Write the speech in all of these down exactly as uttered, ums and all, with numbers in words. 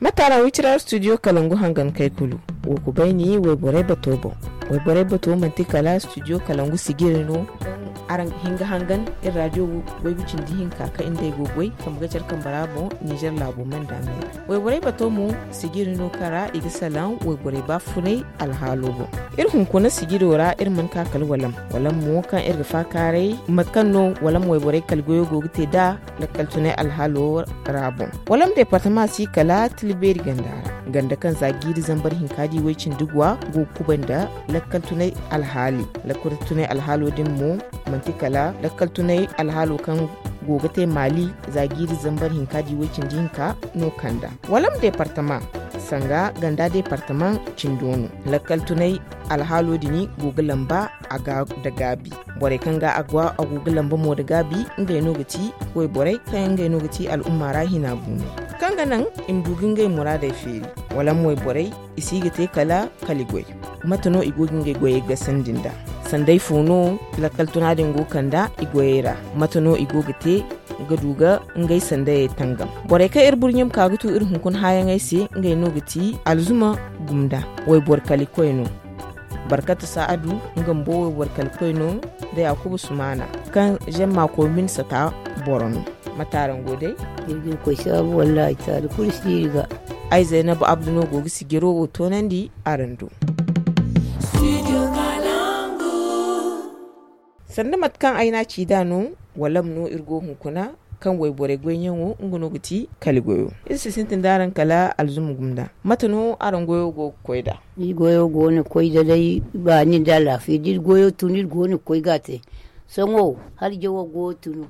Mate araŋ wicira studio kalangu hangan kay kulu? Wo ku bay ni wayborey bato boŋ. Wayborey bato manti kala studio kalangu sijiri no. Araŋ ga hin ga hangan iri radio waygu cindi hinka kaŋ iri nd'ey go goy kambe ga care kambe ra boŋ nizer laabo manda me ra. Wayborey bato mo sijiri no kaŋ ra i ga salaŋ wayborey baafunay alhaalo boŋ. Iri hunkuna sijiro ra iri mana ka kala walam. Walam mo kaŋ iri ga faakaaray mate kaŋ no walam wayborey kala goyo go ga te nd'a lakkal tunay alhaalo ra boŋ. Walam departama si kala tila beeri ganda ra, ganda kaŋ za jiiri zambar hinka di way cindi gwa go ga kubay nda lakkal tunay alhaali. Lakkal tunay alhaalo din mo manti kala lakkal tunay alhaalo kaŋ go ga te maali za jiiri zambar hinka di way cindi hinka no kanda. Walam departama sanga ganda departama cindo no. Lakkal tunay alhaalo din go ga lamba a ga nda gaabi. Borey kaŋ ga a go a go ga lamba mo nda gaabi ngey no ga ti wayborey kaŋ yaŋ ngey no ga ti al'umma ra hina buuno kaŋ ga naŋ i ma du ga ngey muraadey feeri. Wala mo wayborey i si ga te kala kali goy. Mate no i go ga ngey goyey gasandi nda sanday fo no lakkal tuna din go kanda i goyey ra? Mate no i go ga te ga du ga ngey sandayey tangam? Borey kaŋ iri burɲe ma ka ga tu iri hunkuna haayaŋey se ngey no ga ti alzuma gumda wayboro kali koy no. Barkatu sa'adu nga mbo wayboro kali koy no nda yakubu sumaana kaŋ zemma koy min sata boro no. Mate araŋ go day? Iri ga iri koy saabu wallaahi taali kulu si iri ga. Ay zaynabu abdu no go ga sijiro wo toonandi araŋ do. Sanda mate kaŋ ay n'a ci nd'a no, walam no iri go hunkuna kaŋ wayborey goyyaŋo nga no ga ti kali goyo. Iri si sintin d'araŋ kala alzuma gumda. Mate no araŋ goyo go ga koy nd'a? Iri goyo go no ga koy nd'a day baani nda alaafiya da iri goyo tun iri go no ga koy ga a te. Sohõ hala jawo go tunu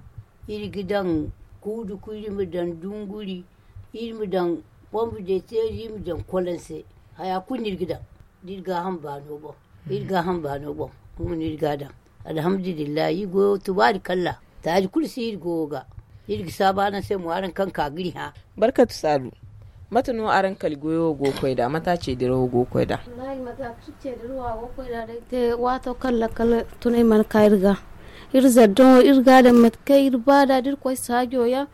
iri ga daŋ kuuduku iri ma daŋ dunguri iri ma daŋ pombu de teeri iri ma daŋ kolanse. Haya kulu no iri ga daŋ da iri gaaham baano boŋ. Iri gaaham baano boŋ nga no iri ga a daŋ. Alhamdulillahi iri goyo tubaari kalla taali kulu si iri goyo ga. Iri ga saabu araŋ se mo araŋ kaŋ ka ga iri hã. Barkatu saalu, mate no araŋ kali goyo wo go ga koy nd'a mate a ceedirawo go ga koy nd'a? Wallahi mate a ceedirawa go ga koy nd'a day te waato kaŋ lakkal tunay mana ka iri ga. Iri zaddaŋo iri ga a daŋ mate kaŋ iri ba nd'a da iri koy saajo yaŋ.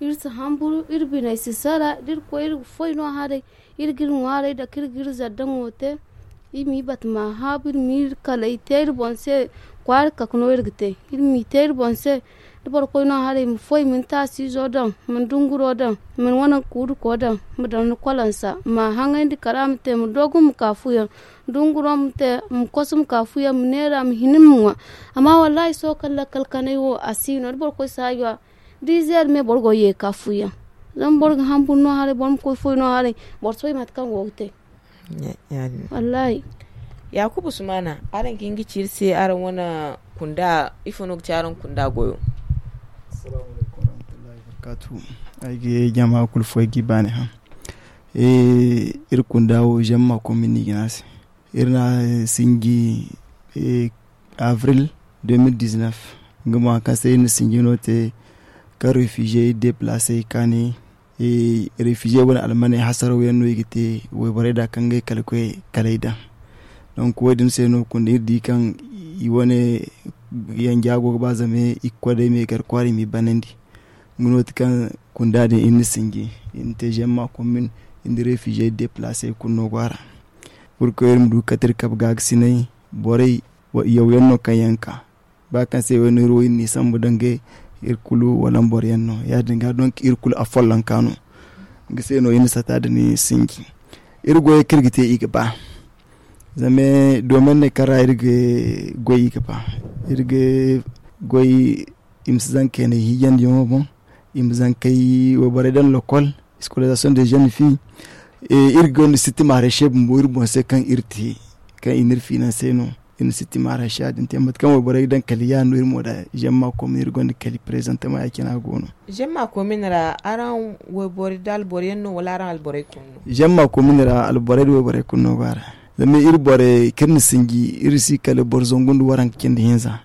Iri si hamburu iri biney si sara da iri koy iri ga foy no haray. Iri ga iri ŋwaaray dake iri ga iri zaddaŋo te. Iri m'i bata ma haabu iri m'i kalay te iri boŋ se. Kwaara kake no iri ga te iri m'i te iri boŋ se. Da boro koy no haray i ma foy i ma ni taasiizo daŋ i ma ni dunguro daŋ i ma ni wane kuuduko daŋ i ma daŋ ni kolansa i ma a haŋayndi kala ma te i ma doogu ma ka fuyaŋ. Dunguro ma te i ma koso ma ka fuyaŋ i ma neera i ma hina i ma ŋwa. Amma wallaahi sohõ kaŋ lakkal kanay wo a si no da boro koy saajo ra. Dizeer me boro go ye ka fuyaŋ. Zama boro ga hamburu no haray boro ma koy foy no haray. Boro si bay mate kaŋ go ga te. Wallaahi. Yaakuba usmaana, araŋ ga hin ga ci iri se araŋ wane kunda ifo no ga ci araŋ kunda goyo? Ay ga jama kulu fo ay ga i baani hã. Iri kunda wo zemma komin no i ga ne a se. Iri na sinji avril. Deux mille dix-neuf nga mo hari kaŋ se iri na sinji no te kaŋ refugier iri deplace i kaani. Refugier wane almaney hasaraw yaŋ no i ga te wayborey da kaŋ ga ay kala koy kala ay daŋ. Donk wo- din se no kunda iri di kaŋ i wane yanja go ga ba zama i ga koy day me gar kwaara i m'i banandi. Nga no- ti kaŋ kunda din iri na sinji iri na te zemma komin iri na refugier deplace kulu no go a ra. Purko iri ma du ga kate iri kabe ga ga sinay borey yawyaŋ no kaŋ yaŋ ga ka ba kaŋ se wayno iri wo iri n'i sambu danga iri kulu wala boro yaŋ no ya- din ga donk iri kulu afollonka no. Nga se no iri na sata da ni sinji iri goyey kaŋ iri ga te i ga ba. Zama domaine ne kaŋ ra iri ga goy i ga ba iri ga goy i ma si zankey ne hiijandiyaŋo boŋ. I ma zankey wayborey daŋ lokol scolarisation de jeune fille. Iri gonda siti maarey se bumbo iri boŋ se kaŋ iri te kaŋ i n'iri finansey no. Iri na siti maarey se ya- din te mate kaŋ wayborey ga daŋ kala ya- no iri mo da zemma komin iri gonda kali prezantama ya- cine a go no. Zemma komin ra araŋ wayboro da alboro yaŋ no wala araŋ alborey kulu no? Zemma komin ra alborey da wayborey kulu no go a ra. Zama iri borey kaŋ iri na sinji iri si kala boro zangu nda waranka cindi hinza.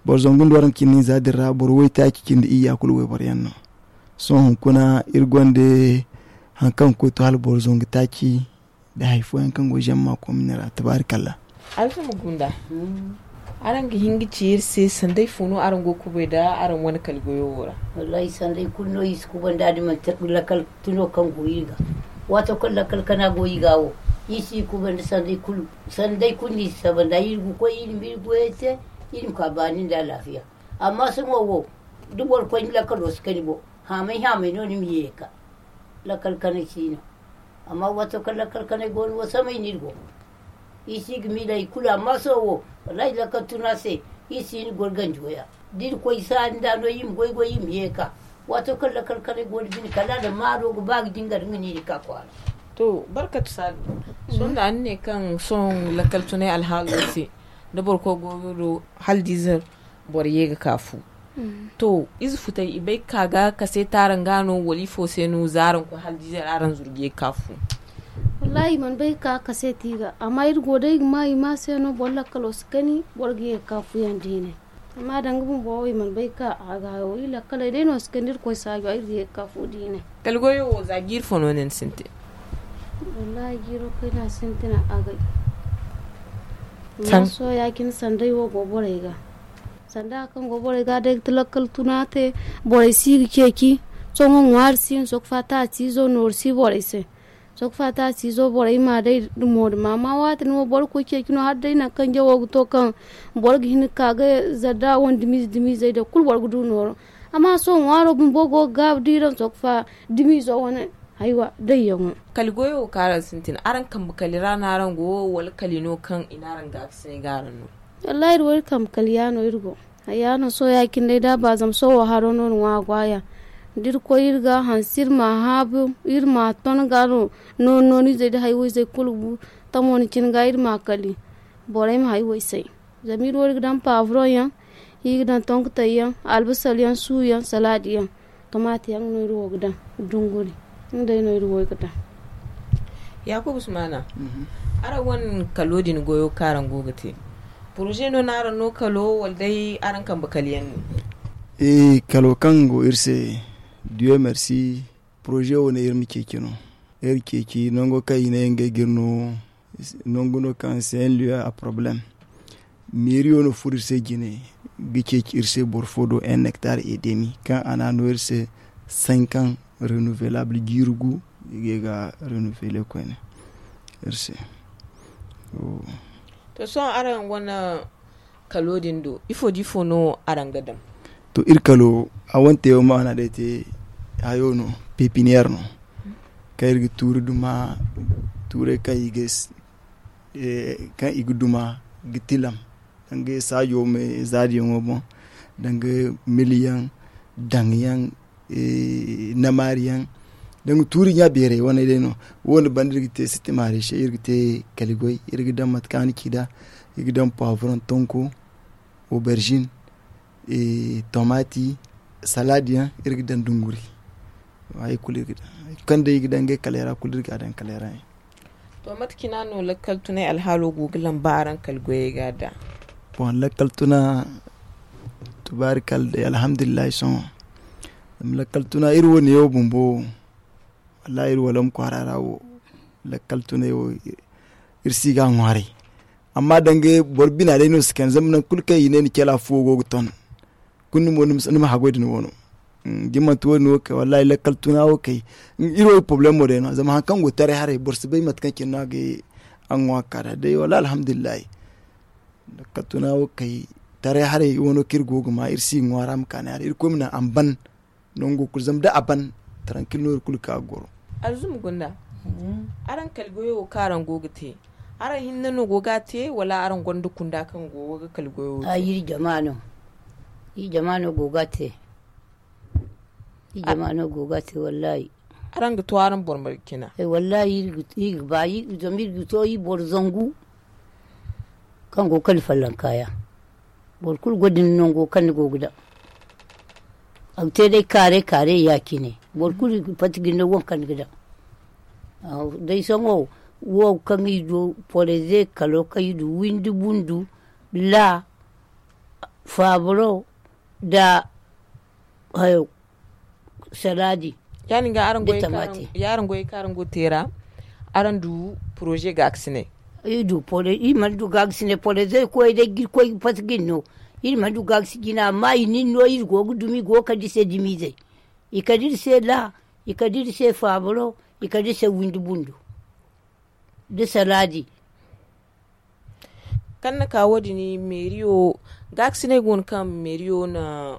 Boro zangu nda waranka cindi hinza din ra boro waytaaci cindi iyya kulu wayboro yaŋ no. Sohõ hunkuna iri gonda hari kaŋ ga koy to hala boro zangu taaci nda hari fooyaŋ kaŋ go zemma komin ra tabaarikalla. Alfa ma gunda. Araŋ ga hin ga ci iri se sanday fo no araŋ go ga kubay nda araŋ wane kali goyo wo ra? Wallaahi sanday kulu no iri si kubay nda da manti lakal tuno kaŋ go iri ga. Waato kaŋ lakal kana go iri ga wo, iri si kubay nda sanday kulu. Sanday kulu no iri si saba nda iri ga koy iri ma iri goyey te, iri ma ka baani nda alaafiya. Amma sohõ wo, da boro koy ni lakalo si kani boŋ, haamay haamay no ni ma ye ga ka. Lakal kanay si no. Amma waato kaŋ lakal kanay go no wo samay no iri go. Iri si ga miila hari kulu amma sohõ wo, wallaahi lakal tuna se, iri si hin ga goro ganjo ya. Da iri koy saari nda no iri ma goy goy iri ma ye ga ka. Waato kaŋ lakal kanay go no bine kala a na maaro ga ba ga jingar nga no iri ga ka kwaara. To barkatu saadu. Sohõ da ni ne kaŋ sohõ lakal tunay alhaalo se, da boro koy goyo do hala diizer boro ye ga ka fu. To ize futay i bay ga ka ga kaseeti araŋ ga no wala ifo se no za araŋ koy hala diizer araŋ zuru ga ye ga ka fu? Wallaahi i mana bay ga ka ga kaseeti i ga amma iri go day ga ma i ma se no boro lakkalo si kani boro ga ye ga ka fu yaŋ diine. Amma danga bumbo wo i mana bay ga ka a ga hayo iri lakkaley day no si kani iri koy saajo iri ga ye ga ka fu diine. Kala goyo wo za jiiri fo no ne ni sintin? Wallaahi jiiro kayna sintina agay. Amma sohõ ya- cine sanday wo go borey ga. Sanda hari kaŋ go borey ga day ga ti lakkal tuna te, borey si ga ceeci. Sohõ ŋwaari si no sokfa taasi izo nooru si borey se. Sokfa taasi izo borey ma day dumo duma amma waati no boro ga koy ceeci no hala day nangu kaŋ jawo ga to kaŋ boro ga hin ga ka ga zarda wane dumiize dumiizey day kulu boro ga du nooro. Amma sohõ ŋwaaro bumbo go ga gaabu da i daŋ sokfa dumiizo wane. Haywa dayyaŋo. Kala goyo wo kaŋ araŋ sintin araŋ kambe kali ra no araŋ go wala kali no kaŋ i ne araŋ gaakasinay ga araŋ no? Wallaahi iri wo iri kambe kali ya no iri go. Haya no sohõ ya- cine day da a ba zama sohõ wo haro no ni ŋwa a go a ya. Da iri koy iri ga hanse iri ma a haabu iri ma a ton ga no nooni nooni izey nda haywo izey kulu ga bu. Tamo ni cine ga iri ma a kali borey ma haywo i se. Zama iri wo iri ga daŋ paaburoŋ yaŋ, iri ga daŋ tonkotey yaŋ, albasar yaŋ suu yaŋ salaadi yaŋ. Tomaati yaŋ no iri wo ga daŋ dunguri. Nga day no iri wo iri ga daŋ. Yaakuba sumaana, araŋ wane kalo din goyo kaŋ araŋ go ga te, poroze no no araŋ no kalo wala day araŋ kambe kala yaŋ no? Kalo kaŋ go iri se, diyo mersi. Poroze wo ne iri ma ceeci no. Iri ceeci nango kaŋ i ne ngey ga iri no. Nangu no kaŋ se en lieu a porobalem. Meeriyo no furo iri se jine ga ceeci iri se boro fo do en nektar edemi kaŋ a na a no iri se sankan renouvelable jiiri gu. I ga ye ga renouveler koyne iri se. To sohõ araŋ wane kalo din do ifo da ifo no araŋ ga daŋ? To iri kalo a wane te wo maana day te hayo no pepiniyer no. Kaŋ iri ga tuuri duma tuurey kaŋ i ga kaŋ i ga duma ga tilam danga saajo me zaadiyaŋo boŋ danga miliyaŋ daŋyaŋ namaariyaŋ. Danga tuuri ɲa beerey wane day no. Wo- ne banda iri ga te sitimaari se iri ga te kaligoy iri ga daŋ mate kaŋ a na ci nd'a. Iri ga daŋ poivron tonko, oberžin, tomati, salaadi yaŋ iri ga daŋ dunguri. Hari kulu iri ga daŋ hari kaŋ day iri ga daŋ ngey kaleera kulu iri ga a daŋ kaleera yaŋ. To mate cina no lakkal tunay alhaalo go ga lamba araŋ kala goyey ga da? Boŋ lakkal tuna tubaari kala day alhamdulillahi sohõ. Zama lakkal tuna iri wo neewo bumbo wo wallaahi iri walam kwaara ra wo lakkal tunay wo iri si ga a ŋwaaray. Amma danga boro bina day no si kande zama nangu kulu kaŋ i ne ni cala fuwo go ga ton. Kulu ni mo ni ma haggoy da ni wano. Da ni manti wo- din wo kay wallaahi lakkal tuna wo kay iri wo iri porobalemo day no zama hari kaŋ go taray haray boro si bay mate kaŋ cine no a ga ye a ga ŋwa ga ka nd'a day wallaahi alhamdulillahi. Lakkal tuna wo kay taray haray wano kaŋ iri go ga ma iri si ga ŋwaara ma ka ni haray irkoy ma naŋ a ma ban. Nango kulu zama da a ban tarankil no iri kulu ga ka ga goro. Alzuma gunda, araŋ kala goyo wo kaŋ araŋ go ga te, araŋ hinne no go ga a te wala araŋ gonda kunda kaŋ go ga kala goyo wo te? Ay iri jama no. Iri jama no go ga a te. Iri jama no go ga a te wallaahi. Araŋ ga to araŋ boro marga cina? Wallaahi iri ga ba zama iri ga to iri boro zangu. Kaŋ go ga kala fallanka ya. Boro kulu gonda ni nango kaŋ ni go ga daŋ. A ga te day kaare kaare ya- cine boro kulu ga pati ga ni daŋ waŋ kaŋ ni ga daŋ. Day sohõ wo kaŋ i du poreze kalo kaŋ i du windi bundu, la, faaburo, nda hayo, salaadi. Ya- din ga araŋ goyey kaŋ araŋ go ga te ra, araŋ du poroze gaakasinay? Iri mana du gaagasinay polo zey koy day ga iri koy ga pasa ga iri no. Iri mana du gaagasi jina amma i na iri no iri go ga dumi i go ga kande iri se dumizey. I kande iri se laa, i kande iri se faabaro, i kande iri se windi bundo. Da salaadi. Kaŋ na ka wo- din meeriyo, gaakasinay go no kaŋ meeriyo na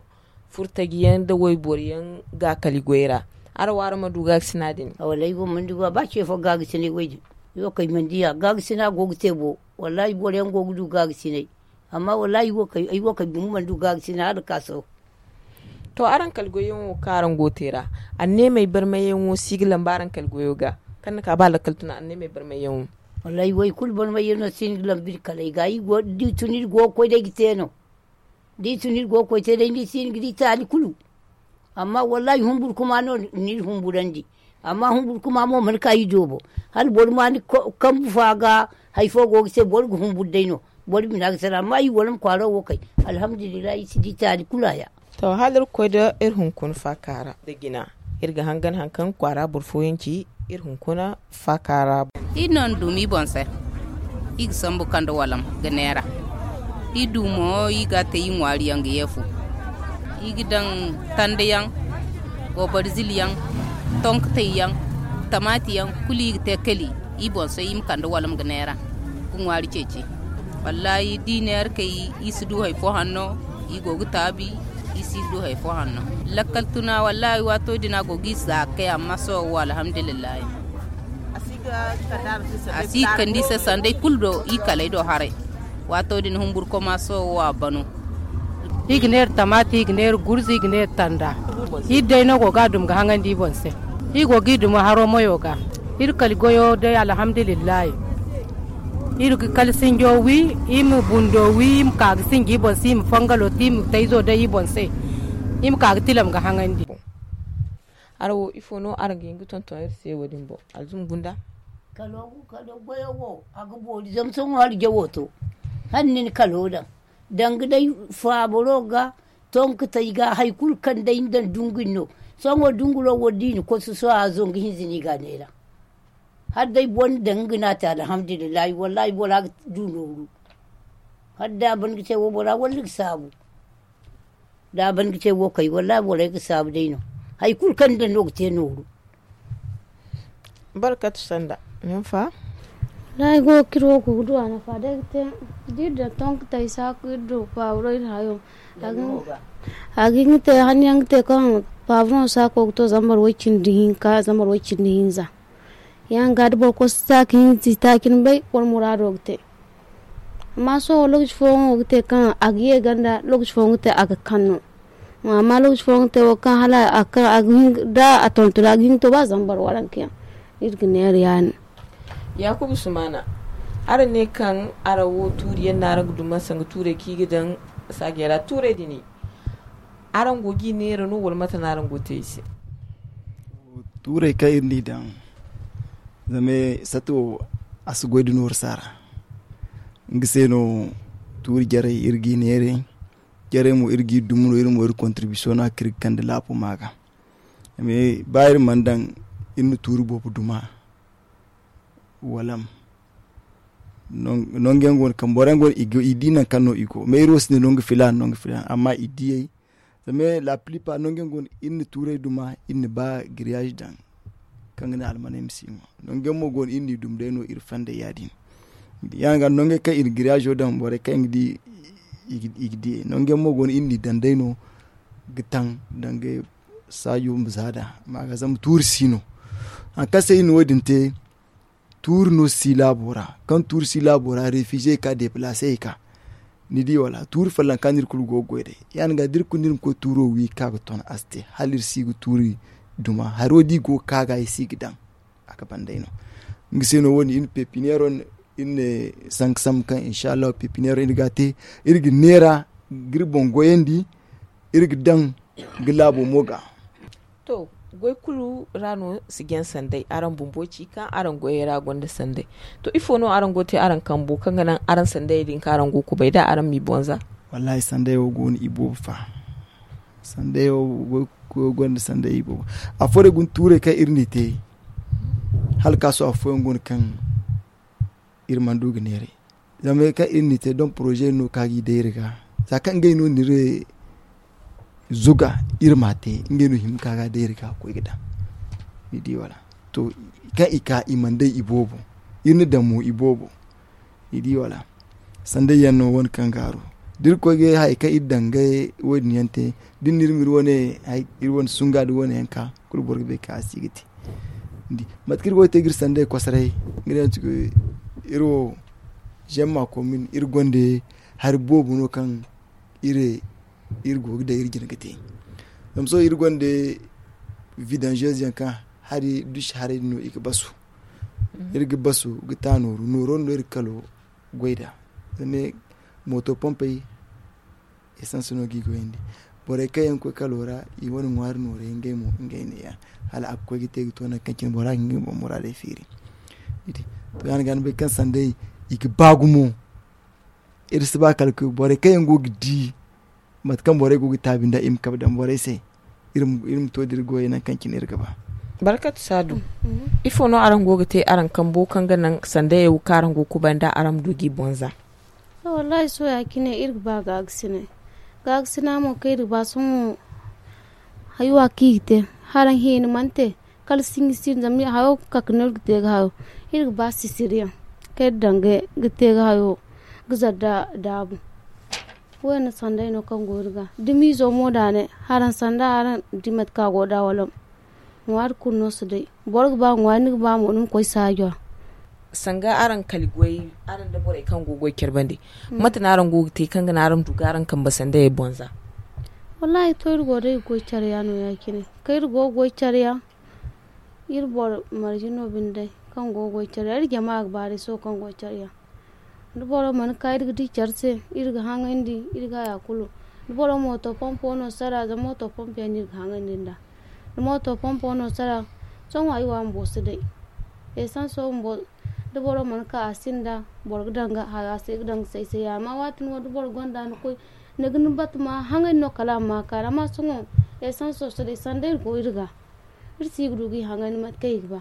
furtaji yaŋ nda wayboro yaŋ gaakali goy ra. Araŋ wo araŋ mana du gaakasina din? Wallaahi ay wo mana du ba ce fo gaakasinay wo- din. Ay wo kay mana di a gaakasina go ga te bo. Wallaahi boro yaŋ go ga du gaakasinay. Amma wallaahi ay wo kay gumo mana du gaakasinay hala ga ka sohõ. To araŋ kala goyyaŋo kaŋ araŋ go ga te ra, anneemey barmayyaŋo si ga lamba araŋ kala goyo ga? Kaŋ ni ka ba lakkal tuna anneemey barmayyaŋo. Wallaahi wo ay kulu barmayyaŋo si ga lamba iri kala ay ga da i tun iri go ga koy day ga te no. Da i tun iri go ga koy te day ni si hin ga di taali kulu. Amma wallaahi humbur kuma no na iri humburandi. Amma humbur kuma mo mana ka i doobo. Hala boro ma ni kambu fo a ga hari fo go ga te boro ga humbur day no. Boro bina ga sara amma i wala ma kwaaro wo kay. Alhamdulillahi i si di taali kulu a ya. To hala iri ga koy da iri hunkuna faaka ra da jina. Iri ga hangan hari kaŋ kwaara boro fooyaŋ ci iri hunkuna faaka ra. Iri no na duuma i boŋ se. I ga sambu kande walam ga neera. I du mo i ga a te i ŋwaari yaŋ ga yeefu. I ga daŋ tanda yaŋ, obarzil yaŋ, tonkatay yaŋ, tamaati yaŋ kulu i ga te kali. I boŋ se i ma kande walam ga neera ga ŋwaari ceeci. Wallaahi da i neera kay i si du hari fo hanno. I go ga taabi i si du hari fo hanno. Lakkal tuna wallaahi waato din a go ga i zaakay amma sohõ wo alhamdulillahi. A si kande i se sanday kulu do i kalay do haray. Waato din humbur koma sohõ wo a bano. I ga neera tamaati i ga neera gurza i ga neera tanda. Iri day no go ga a dum ga haŋandi i boŋ se. I go ga i duma haro mayo ga. Iri kala goyo day alhamdulillahi. Iri ga kala sinjo wi, i ma bundo wi i ma ka ga sinji i boŋ se i ma fangalo te i ma tayzo day i boŋ se. I ma ka ga tilam ga haŋandi. Araŋ wo ifo no araŋ ga hin ga tonton iri se wo- din boŋ? Alzuma gunda. Kalo goyo wo a ga boori zama sohõ hala jawo to. Hala ni na kalo daŋ danga day faabaro ga, tonkatay ga hari kulu kaŋ day ni daŋ dungu ni no. Sohõ dunguro wo da i na kososo a zongu hinza no i ga a neera. Hala day boro na daŋ nga no a te alhamdulillahi wallaahi bora ga du nooru. Hala da a ban ga te wo bora walla ga saabu. Da a ban ga te wo kay wallaahi borey ga saabu day no. Hari kulu kaŋ ni daŋ no ga te nooru. Barkatu sanda nin fa. Wallaahi go ga kiro go ga du a nafa day ga te. Da iri daŋ tonkatay saaku iri du faaburo iri hayo. A ga hin ga te hanno yaŋ ga te kaŋ faaburo saako ga to zambar way- cindi hinka zambar way- cindi hinza. Ya- din ga da boro koy si taaci hinza i taaci ni bay boro muraado ga te. Amma sohõ lookaci fooyaŋo ga te kaŋ a ga ye ganda lookaci fooyaŋ ga te a ga kaŋ no. Amma lookaci fooyaŋ ga te wo kaŋ hala a ga kaŋ a ga hin da a tonton a ga hin ga to ba zambar waranka yaŋ. Iri ga neera ya- din. Yaakuba sumaana, araŋ ne kaŋ araŋ wo tuuri yaŋ no araŋ ga duma sanga tuurey kaŋ i ga daŋ saajey ra tuurey din. Araŋ go ga i neera no wala mate no araŋ go ga te i se? Tuurey kaŋ iri n'i daŋ zama sati wo a si goy da nooru saara. Nga se no tuuri jarey iri g'i neeray. Jarey mo iri g'i dum no iri mo iri kontiribisiyoŋ no a kaŋ iri ga kande laabu ma ga. Ba iri mana daŋ iri na tuuri boobo duma. Walam. Nangu yaŋ go no kaŋ boro yaŋ go no i di nangu kaŋ no i go meero si ne nangu filaana nangu filaana amma i diyey. Zama la pilipa nangu yaŋ go no iri na tuuray duma iri na ba giriyaz daŋ. Kaŋ ga ne almaney ma si ŋwa nangu yaŋ mo go no iri n'i dum day no iri fandey ya- din. Ya- din ga nangu yaŋ kaŋ iri giriyazo daŋ borey kaŋ yaŋ ga di i ga diyey nangu yaŋ mo go no iri n'i daŋ day no. Ga taŋ danga saajo ma zaada ma ga zama tuuri si no. Hari kaŋ se iri na wo- din te tuuri no si laabo ra kaŋ tuuri si laabo ra refize i ka depilase i ka. Ni di wala tuuri folloŋ kaŋ no iri kulu go ga goy day ya- din ga da iri kulu no iri ma koy tuuro wi ga ka ga ton a si te hala iri si ga tuuri duma haro da i go ga ka ga i si ga daŋ. A ga ban day no. Nga se no wo- din iri na pepineero iri ne sanka sambu kaŋ insa allahu pepineero iri ga a te iri ga neera ga iri boŋ goyandi. Iri ga daŋ ga laabo mo ga. To goy kulu ra no si jaŋ sanday araŋ bumbo ci kaŋ araŋ goyey ra gonda sanday. To ifo no araŋ go ga te araŋ kambo kaŋ ga naŋ araŋ sandayey din kaŋ araŋ go ga kubay da araŋ m'i boŋ za? Wallaahi sanday wo go no i boobo fa. Sanday wo goy kulu go no da sanday i boobo. Afooyaŋ guna tuurey kaŋ iri n'i te hala kaasu afooyaŋ go no kaŋ Iri mana du ga neeray zama kaŋ iri n'i te don poroze no kaŋ a g'i day iri ga za kaŋ ngey no n'iri zuga iri m'a te. Ngey no hima ka ga day iri ga koy ga daŋ ni di wala? To, kaŋ i ka i mana day i boobo, iri na daŋ mo i boobo. Ni di wala? Sanday yaŋ no wane kaŋ gaaru da iri koy ga hari kaŋ iri daŋ ga wo- din yaŋ te da ni na iri ma iri wane sunga da wane yaŋ ka kulu boro ga bay kaŋ a si ga te. Mate kaŋ iri go ga te ga iri sanday kosoray nga day no ti iri wo zemma komin iri gonda hari boobo no kaŋ iri go ga day iri jina ga te. Zama sohõ iri gonda vidanzez yaŋ kaŋ hari dusi haray din no i ga basu. Iri ga basu ga ta nooru nooro no iri ga kalo goy nd'a. Zama mooto pompey esans no ga i goyandi. Borey kaŋ yaŋ ga koy kalo ra i wane ŋwaari nooray ngey mo ngey neeya hala a ga koy ga te ga to nangu kaŋ cine bora ga ngey boŋ muraadey feeri. To ya- din ga ni bay kaŋ sanday i ga ba gumo. Iri si ba kala borey kaŋ yaŋ go ga di mate kaŋ borey go ga taabi nd'a i ma kabe daŋ borey se. Iri ma to da iri goyey nangu kaŋ cine iri ga ba. Barkatu saadu. Ifo no araŋ go ga te araŋ kambo kaŋ ga naŋ sandayaŋ wo kaŋ araŋ go ga kubay nd'a araŋ ma du g'i boŋ za? Wallaahi sohõ ya- cine iri ga ba gaagasinay. Gaagasina mo kaŋ iri ga ba sohõ haywa kaŋ i ga te haraŋ hina mana te. Kala sinji sinda zama hayo kake no iri ga te ga hayo. Iri ga ba sisiriyaŋ kaŋ iri daŋ ga te ga hayo ga zara da daabu. Wo- din sanday no kaŋ go iri ga da miizo mo daanay haraŋ sanda haraŋ di mate kaŋ a go nd'a wala ŋwaari kulu no si day. Boro ga ba ŋwaari ni ga ba mo ni ma koy saajo ra. Sanga araŋ kali goy araŋ da borey kaŋ go ga goy care bande, mate no araŋ go ga te kaŋ ga naŋ araŋ ma du ga araŋ kambe sandayey boŋ za? Wallaahi to iri go day ga goy care ya no ya- cine kaŋ iri go ga goy care ya. Iri boro marje no binde day kaŋ go ga goy care ya iri jama ga ba day sohõ kaŋ goy care ya. Da boro mana ka iri ga di care se iri ga haŋayndi iri ga haya kulu. Da boro mooto pompo no sara zama mooto pompo yaŋ no iri ga haŋayndi nd'a. Da mooto pompo no sara sohõ ay wo a bumbo si day. Esanso bumbo da boro mana ka a sinda boro ga daŋ ga haya se ga daŋ ga say say ya amma waati no da boro gonda ni koy ni ga ni bata ma haŋayndi no kala a ma ma kaani amma sohõ esanso si day sanda iri go iri ga iri si ga du ga i haŋayndi mate kaŋ i ga ba.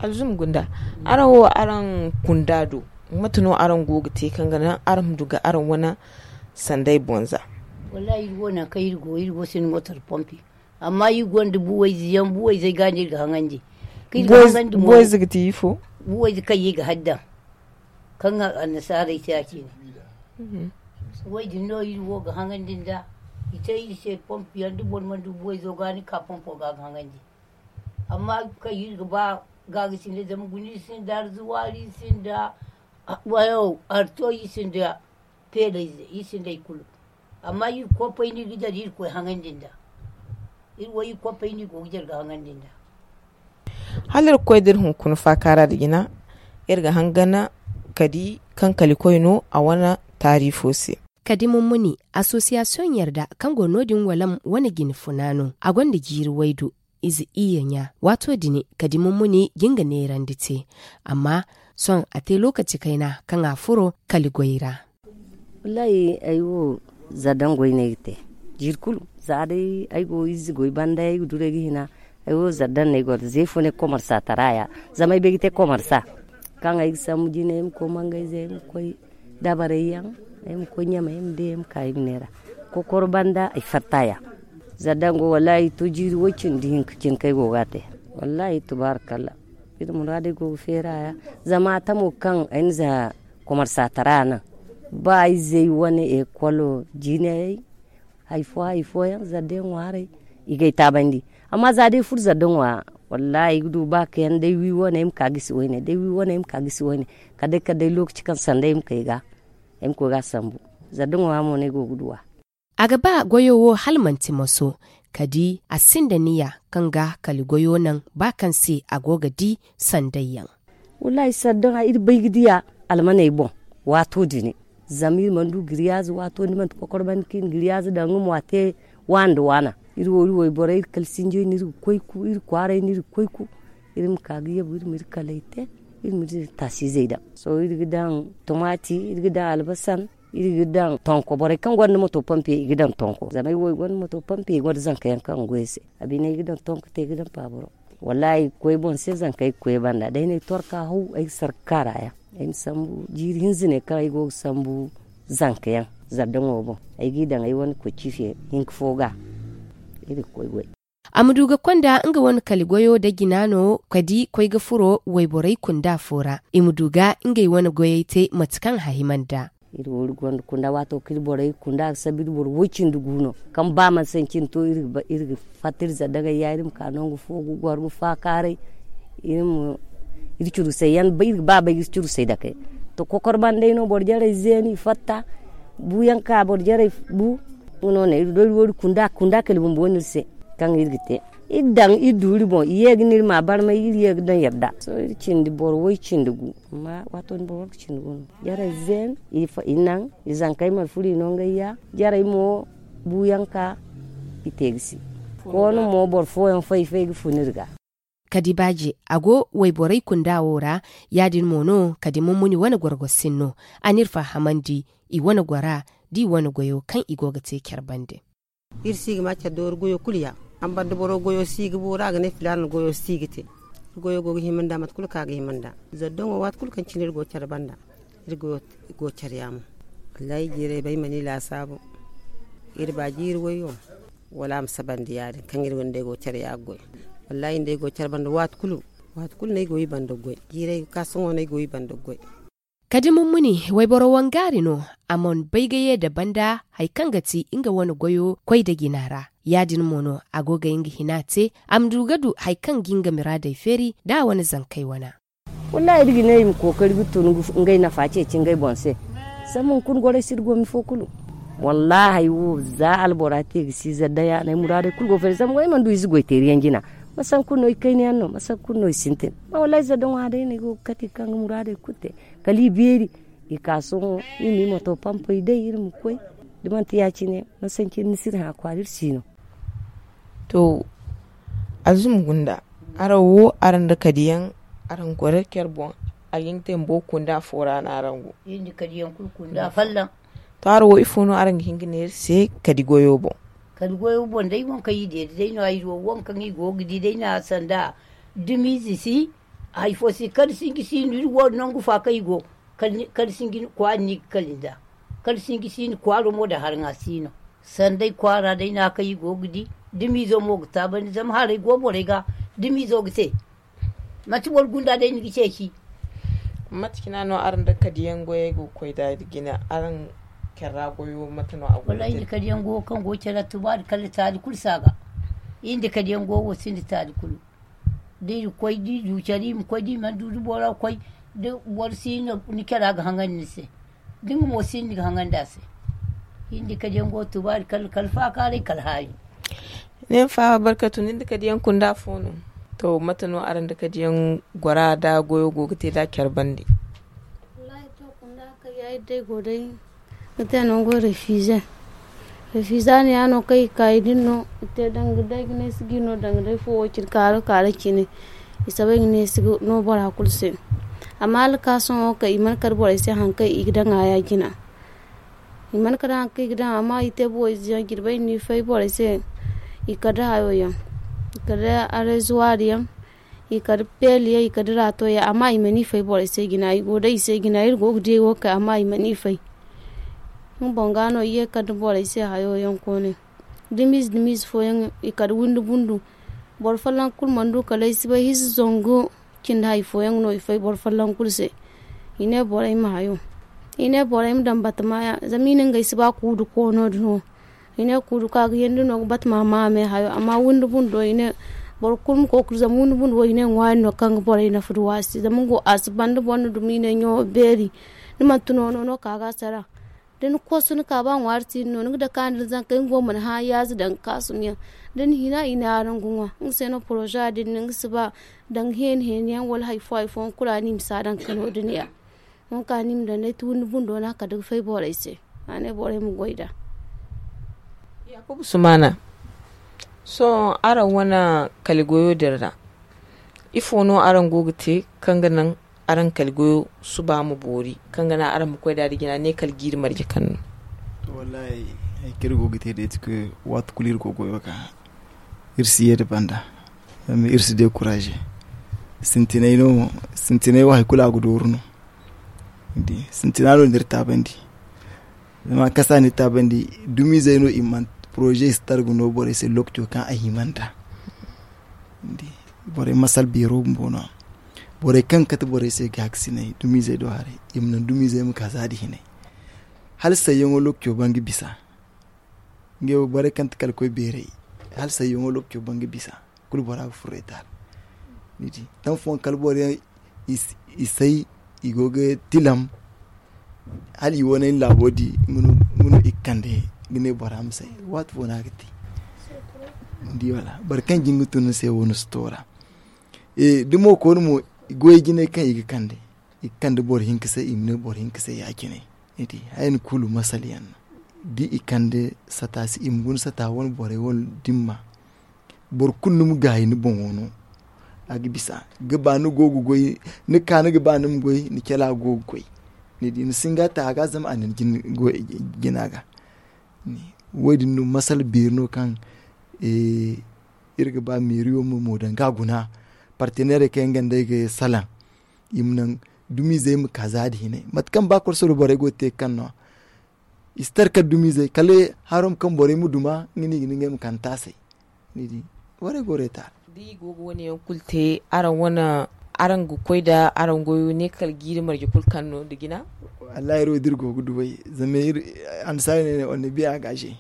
Alzuma gunda, araŋ wo araŋ kunda do, mate no araŋ go ga te kaŋ ga naŋ araŋ ma du ga araŋ wane sanday boŋ za? Wallaahi iri wo nangu kaŋ iri go iri go sinda mootor pompi. Amma iri gonda buwayze yaŋ buwayzey ga no iri ga haŋandi. Buwayze ga ti ifo? Buwayze kaŋ iri ga hari daŋ kaŋ annasaarey te ya- cine. Wo- din no iri wo ga haŋandi nd'a. I te iri se pompi yaŋ da boro mana du buwayzo ga ni ka pompo ga ga haŋandi. Amma kaŋ iri ga ba gaagasinay zama guna iri sinda arzuwaari iri sinda arto iri sinda peelay iri sinda hari kulu. Amma iri kopay no iri ga jare iri ga koy haŋandi nd'a. Iri wo iri kopay no iri go ga jare ga haŋandi nd'a. Hala iri ga koy da iri hunkuna faakaara nda jina iri ga hangan ka di kaŋ kalikoy no a wane taari fo se. Kadi mummuni asosiyasiyoŋ yarda kaŋ go no- din walam wane jine funa no a gonda jiiri waydu ize iyye ɲa waato din kadi mummuni ga nga neerandi te. Amma sohõ a te lookaci kayna kaŋ a furo kali goy ra. Wallaahi ay wo zardaŋ goy no ay ga te jiiri kulu. Za day ay go ize goy banda ay ga duray ga hina. Ay wo zardaŋ no ay gonda za ifo no ay ga komarsa tara ya. Zama ay bay ga te komarsa kaŋ ay ga sambu jine ay ma koy mangayze ay ma koy dabarey yaŋ ay ma koy ɲamey ay ma day ay ma ka ay ma neera. Kokoro banda ay fatta ya. Zardaŋ go wallaahi to jiiri way- cindi hinka cine kaŋ ay go ga a te. Wallaahi tubaarakalla iri muraadey go ga feera ya. Zama a tamo kaŋ ay na za komarsa tara naŋ ba izey wane ekolo jinayey hari fo hari fooyaŋ zarde ŋwaarey i ga ay taabandi. Amma za day furo zarde ŋwa wallaahi ay ga du ba kayaŋ day wi wane ay ma ka gisi wayne day wi wane ay ma ka gisi wayne. Kala day kala day lookaci kaŋ sanda ay ma kay ga ay ma koy ga a sambu. Zarde ŋwa mo no ay go ga du a. A ga ba goyo wo hala manti moso kadi a sinda niya kaŋ ga kali goyo naŋ ba kaŋ se a go ga di sandayyaŋ. Wallaahi sardaŋa iri bay ga diya almaney boŋ waato dine. Zama iri mana du giriyaaze waato ni manti kokor banda kaŋ iri na giriyaaze daŋ nga mo a te waana nda waana. Iri wo iri wayborey iri kala sinjey no iri ga koy ku iri kwaaray no iri ga koy ku. Iri ma ka ga yabu iri ma iri kaley te iri ma iri taasiizey daŋ. Sohõ iri ga daŋ tumaati iri ga daŋ albasan iri ga daŋ tonko borey kaŋ gonda moto pompe i ga daŋ tonko zama ay wo ay gonda moto pompe ay gonda zanka yaŋ kaŋ ga goy ay se. A bine ay ga daŋ tonko te ay ga daŋ paaburo. Wallaahi ay ga koy boŋ se zanka ay ga koy ay banda day no ay torka haw ay ga sarka kaara yaŋ. Ay ma sambu jiiri hinza ne kaŋ ay go ga sambu zanka yaŋ zardaŋo boŋ. Ay g'i daŋ ay wane koy ciife hinka fo ga. Iri ga koy goy. A ma du ga konda nga wane kali goyo nda jina no kadi koy ga furo wayborey kunda fo ra i ma du ga ngey wane goyey te mate kaŋ a hima nd'a. Iri wo iri gonda kunda waato kaŋ iri borey kunda ga sabu iri boro woy cindi gu no. Kaŋ ba mana sancin to iri ga fatta iri zardaŋey ya iri ma ka nangu fo ga goro ga faakaaray. Iri ma iri curusey yaŋ iri ga ba bay ga iri curusey dake. To kokor banda day no boro jarey zeenu i fatta. Buuyaŋ ka boro jarey bu. Nga no ne iri do iri wo iri kunda kunda kala bumbo no iri se. Kaŋ iri ga te iri daŋ iri du iri boŋ i ye ga ne iri ma barmay iri ye ga daŋ yadda sohõ iri cindi boro way cindi gu. Amma waato din boro war ga cindi gu no jarey zeenu i naŋ i zankey mana furo i no ngey ya. Jarey mo buuyaŋ ka i te ga si. Koonu mo boro fooyaŋ fay fay ga fun iri ga. Kadi baaje a go wayborey kunda wo ra. Ya- din mo no kadi mummuni wane gorgo sinno a n'iri fahamandi i wane gora da i wane goyo kaŋ i go ga te care bande. Iri si ga ma care doori goyo kulu ya. Amma banda boro goyo si ga boori a ga ne filaana goyo si ga te. Iri goyo go ga hima nd'a mate kulu kaŋ a ga hima nd'a. Zardaŋo waati kulu kaŋ cine iri go care banda iri goyo go care yaamo. Wallaahi jiirey bay mana i laasaabu. Iri ba jiiri wayyo wala a ma sabandi ya- din kaŋ iri wane day go care ya ga goy. Wallaahi ni day go care banda waati kulu waati kulu no ay go i banda ga goy jiirey ga ka sohõ no ay go i banda ga goy. Kadi mummuni wayboro wangaari no. A mana bay ga ye da banda hari kaŋ ga ti nga wane goyo koy da jina ra. Ya- din mo no a go ga nga hina te a ma du ga du hari kaŋ ga nga miraadey feeri da a wane zankey wana. Wallaahi iri ga ne i ma kookari ga tun ngey nafa ceeci ngey boŋ se. Zama hunkuna gorey si iri go mi fo kulu. Wallaahi ay wo za albora te ga si zarda yaaney muraadey kulu go feeri zama ay mana du ize goy teeri yaŋ jina. Masa hunkuna no i kayna yaŋ no masa hunkuna no i sintin. Wallaahi zarda ŋwa day no ay go ga kate kaŋ ga muraadey kulu te. Kala i beeri i ka sohõ iri ma i moto pampey day iri ma koy. Da manti ya- cine masanci iri ni si iri hã kwaara iri si no. To alzuma gunda araŋ wo araŋ nda kadiyaŋ araŋ goro care boŋ. Ay ga te bumbo kunda fo ra no araŋ go. Iri nda kadiyaŋ kulu kunda folloŋ. To araŋ wo ifo no araŋ ga hin ga neera se kadi goyo boŋ? Kadi goyo boŋ day waŋ kaŋ i deeda day no ay wo waŋ kaŋ i go ga di day no a sanda dumiize si. Hari fo si kala sinji si no iri wo nangu fa kaŋ i go. Kala sinji kwaara no i ga kala nda kala sinji si no kwaaro mo da haraŋa si no. Sanday kwaara day no a kaŋ i go ga di dumiizo mo ga taabandi zama haray go borey ga. Dumiizo ga te manti boro gunda day ni ga ceeci. Mate cina no araŋ da kadiyaŋ goyey go ga koy da jina araŋ care ra goyo mate no a go? Wallaahi iri nda kadiyaŋ goyo kaŋ go care ra tubaari kala taali kulu si a ga. Iri nda kadiyaŋ goyo wo sinda taali kulu. Da iri koy da iri du care iri ma koy da iri mana du da bora koy da boro si no ni care a ga haŋandi ni se. Da nga mo si ni ga haŋandi a se. Iri nda kadiyaŋ goyo tubaari kala faakaaray kala haayo. Ne ma faaba barkatu nin da kadiyaŋ kunda fo no? To mate no araŋ da kadiyaŋ gora da goyo go ga te da care bande? Wallaahi to kunda kayyaari day go day. Ga te nango refize. Refize a ne ya no kaŋ i ka i din no i te danga day ga ne si ga i no danga day fo wo cine kaaro kaaro cine. I sabay ga ne si ga no bora kulu se. Amma hala ka sohõ wo kay i mana kar borey se hari kaŋ i ga daŋ a ya jina. I mana kar hari kaŋ i ga daŋ amma i te bobo ize yaŋ jirbey ni fay borey se. I kar da hayo yaŋ i kar da arezuwaari yaŋ. I kar da peeli yaŋ i kar da raato yaŋ amma i mana i fay borey se jina i go day i se jina iri go ga di ay wo kay amma i mana i fay. Nga boŋ ga no i ye kar da borey se hayo yaŋ koone. Dumiize dumiize fooyaŋ i kar windi bundu. Boro folloŋ kulu mana du kala ay si bay hinza zangu cindi hari fooyaŋ no i fay boro folloŋ kulu se. I ne borey ma hayo. I ne borey ma daŋ batama ya zama i na ngey si ba kuudu koono din wo. I ne kuudu kaŋ a ga yandi no ga batama ma a me hayo amma windi bundo i ne boro kulu ma kookari zama windi bundo wo i ne ŋwaari no kaŋ ga borey nafa duwa se zama nga wo a si banda boro na dumi i ne ɲawo beeri. Ni manti noono no ka ga a sara. Da ni kosu ni ka ba ŋwaari si ni no ni ga dake a nda ni zankey nga wo mana hã yaaze danga kaasum yaŋ. Da ni hina i ne araŋ ga ŋwa nga se no poroza din ni nga si ba danga heeni heeni yaŋ wala hari fo hari fooyaŋ kulu a ni ma si a daŋ kano din ya. Nga ka ni ma daŋ day ti windi bundo no a kala ga fay borey se. A ne borey ma goy nd'a. Yaakuba sumaana. Sohõ araŋ wane kali goyo din ra ifo no araŋ go ga te kaŋ ga naŋ araŋ kali goyo suba ma boori kaŋ ga naŋ araŋ ma koy nd'a da jina ne kala jiiri marje kaŋ no? Wallaahi hari kaŋ iri go ga te day ti koy waati kulu iri go goyo ga iri si ye nda banda. Zama iri si dekuraaze sintinay no sintinay wo hari kulu a ga dooru no. Sintina no ni iri taabandi. Zama kasa ni iri taabandi, dumizey no i mana poroze si targu no borey se lokaco kaŋ a hima nd'a. Borey masal beero bumbo no. Borey kaŋ ga kate borey se gaakasinay dumizey do haray, i ma naŋ dumizey ma ka za nda hinay. Hala sayyaŋo lokaco ban ga bisa. Ngey wo borey kaŋ ti kala koy beeray, hala sayyaŋo lokaco ban ga bisa. Kulu bora ga furo etaal. Ni di taŋ fooyaŋ kala boro yaŋ i say, i go ga tilam. Hala i wane ni laabo di nga no i ga kande ga ne bora ma say. Waati fo no a ga te. Ni di wala boro kaŋ jin ga tun ni se wo ni si toora. Da mo koonu mo, goy jinay kaŋ i ga kande, i ga kande boro hinka se, i ma ne boro hinka se ya- cine. Ni di haya ni kulu masal yaŋ no. Da i kande sata se i ma guna sata wane borey wane dimma. Boro kulu ni ma gaayi ni boŋo no. A ga bisa ga ba ni go ga goy, ni ka ni ga ba ni ma goy ni cala go ga goy. Ni di ni si nga ta a ga zama a na ni jina ga. Wo- din no masala beeri no kaŋ iri ga ba meeriyo ma mo daŋ ga a guna. Parteneerey kaŋ yaŋ ga nd'ey ga salaŋ i ma naŋ dumizey ma ka za nda hinay mate kaŋ ba korsoro borey go ga te ga kaŋ no. I si tara kala dumizey kala haro ma kaŋ borey ma duma nga no i ga ne ngey ma kande taasay. Ni di, borey go reetaar. Da i go ga wane yaŋ kulu te, araŋ wane araŋ ga koy nda araŋ goyo ne kala jiiri marje kulu kaŋ no nda jina? Wallahi iri wo da iri go ga duw'ey zama iri annasaari ne ne on ne biya engage.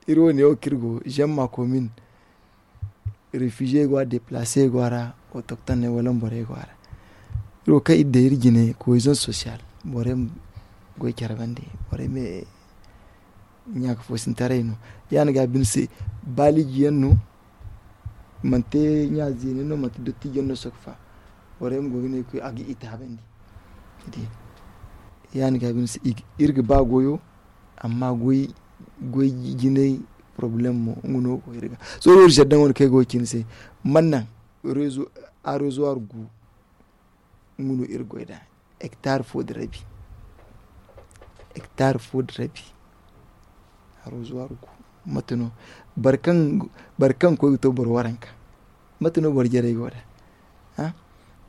Iri wo ne wo kaŋ iri go, j'aime ma commune. Refugier go a ra, deplacer go a ra, autoctone ne wala borey go a ra. Iri wo kaŋ iri daŋ iri jine cohésion social, borey ma goy care bande, borey ma ɲaaka foosintaray no. Ya- din ga bine se, baaliji yaŋ no, manti ɲa zeene no, manti dottijo yaŋ no sokfa. Borey ma go ga ne koy a ga i taabandi. Ya- din ga bine se, iri ga ba goyo. Amma goy jinay, porobalem mo nga no go iri ga. Sohõ iri zedda wane kaŋ ay go ga ci ni se, mana naŋ arezuwar gu. Nga no iri goy nd'a, hektar fo nda rabi. Hektar fo nda rabi. Arezuwar gu. Mate no? Boro kaŋ koy ga to boro waranka. Mate no boro jarey go nd'a?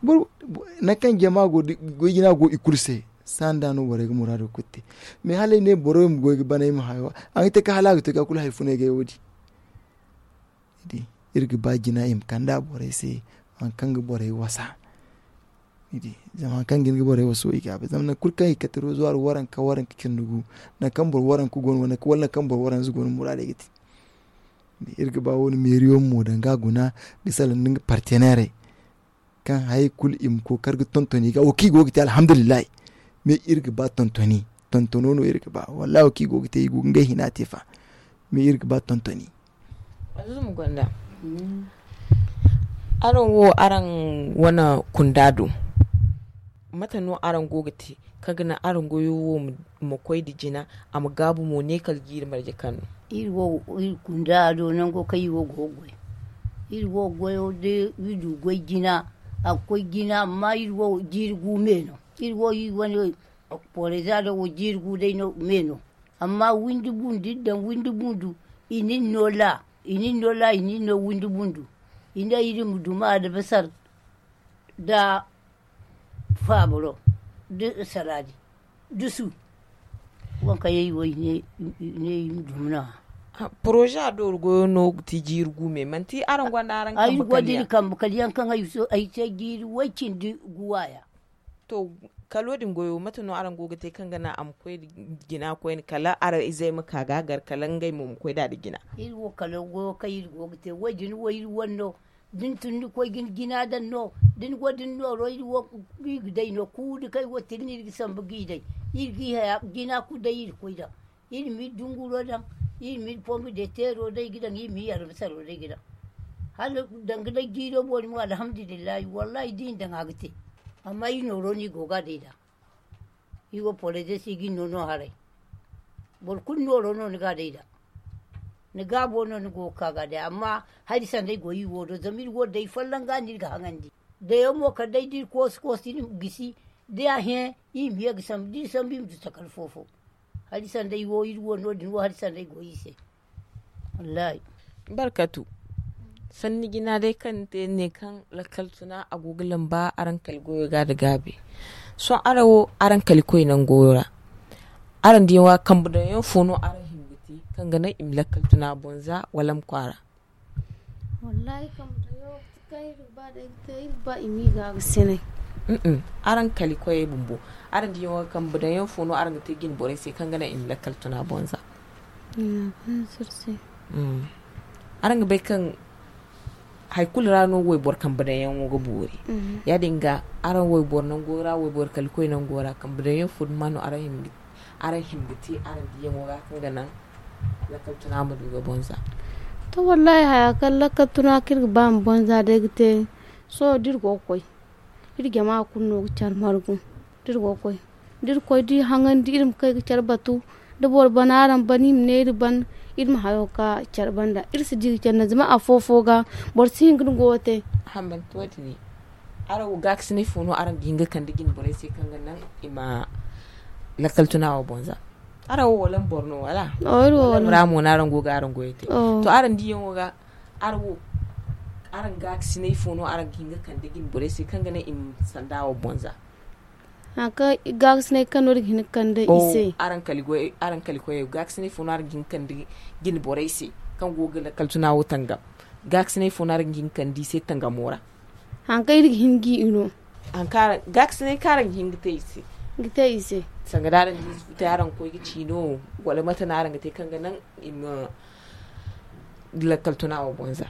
Nangu kaŋ jama go, goy jina go i kulu se. Saani da no borey ga muraado kulu te. Mais hala ay ne boro ma goy ga bana ay ma hayo a ga te ka hala a ga to ga kulu hari funa ay ga ay wo- din. Iri ga ba jina i ma kand'a borey se. Hari kaŋ ga borey wasa. Zama hari kaŋ ga hin ga borey wasa wo i ga a bay zama nangu kulu kaŋ i ga kate rozuwar waranka waranka cindi gu, nangu kaŋ boro waranka go no wala nangu kaŋ boro waranza go no muraadey ga te. Iri ga ba wo- din meeriyo ma mo daŋ ga a guna, ga salaŋ nda nga parteneerey. Kaŋ hari kulu i ma kookari ga tonton i ga wo kaŋ i go ga te alhamdulillahi. Mais iri ga ba tontoni. Tontono no iri ga ba wallahi wo kaŋ i go ga te i go ga ngey hina te fa. Mais iri ga ba tontoni. Araŋ wo araŋ wane kunda do? Mate no araŋ go ga te kaŋ ga naŋ araŋ goyo wo ma koy nda jina, a ma gaabu mo ne kala jiiri marje kaŋ no? Iri wo iri kunda do nango kaŋ iri wo go ga goy. Iri wo goyo da iri du goy jina, a ga koy jina amma iri wo jiiri gu me no. Iri wo iri wane poreza do wo jiiri gu day no me no. Amma windi bundu iri daŋ windi bundu, i na iri no la i na iri no la i na iri no windi bundu. I ne iri ma duma albasar nda faabaro nda saraadi dusu. Waŋ kaŋ yaŋ i wo i ne i ma duma no a. Poroza do goyo no ga ti jiiri gu me manti araŋ gonda araŋ kambe kala yaŋ kaŋ ay se jiiri way- cindi guwaya. To, kalo din goyo mate no araŋ go ga te kaŋ ga naŋ a ma koy nda jina koyne kala araŋ izey ma ka ga gar kala ngey mo ma koy nd'a nda jina? Iri wo kalo goyo kaŋ iri go ga te wo- din wo iri wane no. Da ni tun ni koy ga ni jina daŋ no, da ni go da ni nooro iri ga day no kulu da kaŋ ay go ga te ga ne iri ga sambu g'i day. Iri g'i haya jina kulu day iri ga koy daŋ. Iri ma iri dunguro daŋ, iri ma iri pombi de teero day ga daŋ iri ma iri albasaro day ga daŋ. Hala danga day jiiro boori mo alhamdulillahi wallahi da i na daŋ a ga te. Amma iri nooro no i go ga a day nd'a. Iri wo poreze si ga iri no no haray. Boro kulu nooro no ni ga a day nd'a. Ni gaabo no ni go ga ka ga a day amma hari sanday go iri wo do zama iri wo day folloŋ ga no iri ga haŋandi. Dayo mo kala day da iri koosi koosi iri ma gisi. Da a hẽ iri ma ye ga sambu da iri sambu iri ma du takal fo-fo. Hari sanday wo iri wo no- din wo hari sanday go iri se. Wallahi. Barkatu. Sanni jina day kaŋ ni te ni ne kaŋ lakkal tuna a go ga lamba araŋ kala goyo ga nda gaabi. Sohõ araŋ wo araŋ kali koy nango ra, araŋ diyaŋo ga kambe daŋ yaŋ fo no araŋ hima ga te kaŋ ga naŋ i ma lakkal tuna boŋ za wala ma kwaara? Wallahi kambe daŋ yaŋ wo kaŋ iri ga ba day ga te iri ga ba i ma i ga ga sinay. Araŋ kali koyey bumbo, araŋ diyaŋo ga kambe daŋ yaŋ fo no araŋ ga te jine borey se kaŋ ga naŋ i ma lakkal tuna boŋ za? Araŋ ga bay kaŋ hari kulu ra no wayboro kambe daŋ yaŋo ga boori. Ya- din ga araŋ wayboro nango ra wayboro kali koy nango ra kambe daŋ yaŋ fo duma no araŋ hima ga te araŋ diyaŋo ga kaŋ ga naŋ lakkal tuna ma du ga boŋ za? To wallahi haya kaŋ lakkal tuna kaŋ iri ga ba ma boŋ za day ga te. Sohõ da iri go ga koy iri jama kulu no ga care margu da iri go ga koy da iri koy da iri haŋandi iri ma kay ga care batu. Da boro bana araŋ ban i ma ne iri ban iri ma hayo ga ka care banda iri si di ga care naŋ zama afo-fo ga boro si hin ga ni goyo te. Hammanti wo- din ne araŋ wo gaakasinay fo no araŋ ga hin ga kande jine borey se kaŋ ga naŋ i ma lakkal tuna wo boŋ za? Araŋ wo wala ni boro no wala? Iri wo wala ni boro no. Ra mo no araŋ go ga araŋ goyo te to araŋ diyaŋo ga araŋ wo araŋ gaakasinay fo no araŋ ga hin ga kande jine borey se kaŋ ga naŋ i ma sanda wo boŋ za? Haŋ kaŋ gaakasinay kaŋ no iri ga hin ga kande i se. Araŋ kali koyey gaakasinay fo no araŋ ga hin ga kande jine borey se kaŋ go ga lakkal tuna wo tangam? Gaakasinay fo no araŋ ga hin ga kande i se tangamo ra? Haŋ kaŋ iri ga hin ga i no. Gaakasinay kaŋ araŋ ga hin ga te i se. Sanga da araŋ ga hin ga te araŋ ga koy ga ci no? Wala mate no araŋ ga te kaŋ ga naŋ i ma lakkal tuna wo boŋ za?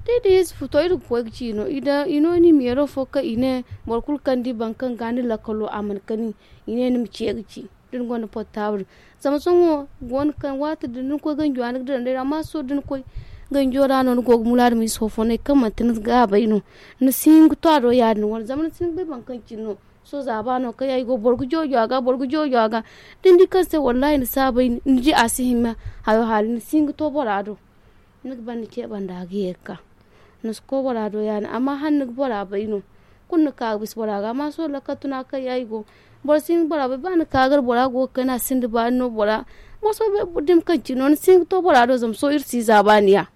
Da i da yesu futo iri ga koy ga ci no i no ni meero fo kaŋ i ne boro kulu kaŋ di boro kaŋ ga ni lakkalo a mana kani. I ne ni ma ce ga ci da ni gonda portable. Zama sohõ go no kaŋ waati din da ni koy ganjo ra ni ga dira nd'ey ra amma sohõ da ni koy ganjo ra no ni go ga mulaada ma ize fo-fo no ay kaŋ manti ni gaabay no. Ni si hin ga to a do ya- din wane zama ni si hin ga bay boro kaŋ cine no. Sohõ zaaba no kaŋ yaŋ i go boro ga joojo a ga boro ga joojo a ga. Da ni di kaŋ se wallahi ni saabay ni di a si hima hayo haali ni si hin ga to bora do. Ni ga ban ni ce banda ga ye ga ka ni si koy bora do ya- din amma hala ni ga bora bay no. Kulu ni ka ga bisa bora ga amma sohõ lakkal tuna kaŋ yaŋ i go boro si hin ga bora bay ba ni ka gar bora go ga kayna sinda baani no bora. Boro sohõ bay dumi kaŋ cine no ni si hin ga to bora do zama sohõ iri si zaaba ni ya.